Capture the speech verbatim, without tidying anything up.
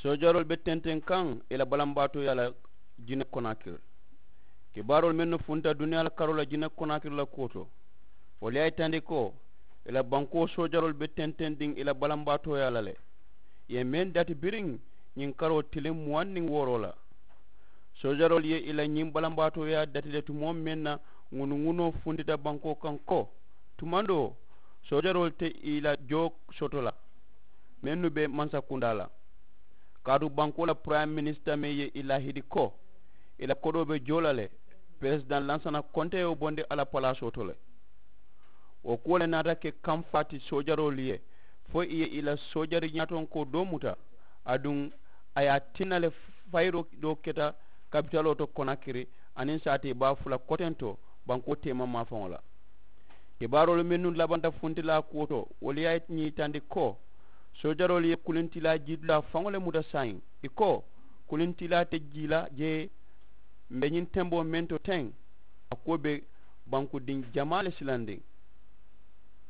Soojaroolu be tenteŋ kaŋ ì la balambaatooyaa la jine konaakiri. Kibaaroolu mennu funta duniyaa la karoo la jine konaakiri la kuwo to, wolu ye a yitandi ko ì la bankoo soojaroolu be tentendiŋ ì la balambaatooyaa la le. Ì ye meŋ dati biriŋ ñiŋ karoo tiliŋ muwaŋ niŋ wooroo la. Soojaroolu ye ì la ñiŋ balambaatooyaa dati le tumoo meŋ na ŋunuŋunoo funtita bankoo kaŋ ko, tumandoo soojaroolu te ì la joo soto la mennu be mansakundaa la. Kaatu bankoo la purayime minisita meŋ ye ì laahidi ko ì la kodoo be joo la le, peresidaŋ lansana konte ye wo bondi a la palaasoo to le. Wo kuwo le naata ke kamfaa ti soojaroolu ye fo ì ye ì la soojari ñaatonkoo doo muta. Aduŋ a ye a tinna le fayiroo doo keta kapitaloo to konakiri aniŋ saatee baa fula kotento bankoo teema maafaŋo la. Kibaaroolu mennu labanta funtilaa kuwo to wolu ye a ñiitandi ko soojaroolu ye kulintilaa jiitulaa faŋo le muta saayiŋ. Ì ko kulintilaa te jii la jee. M̀ be ñiŋ temboo meŋ to teŋ a kuwo be bankudiŋ jamaa le silandiŋ.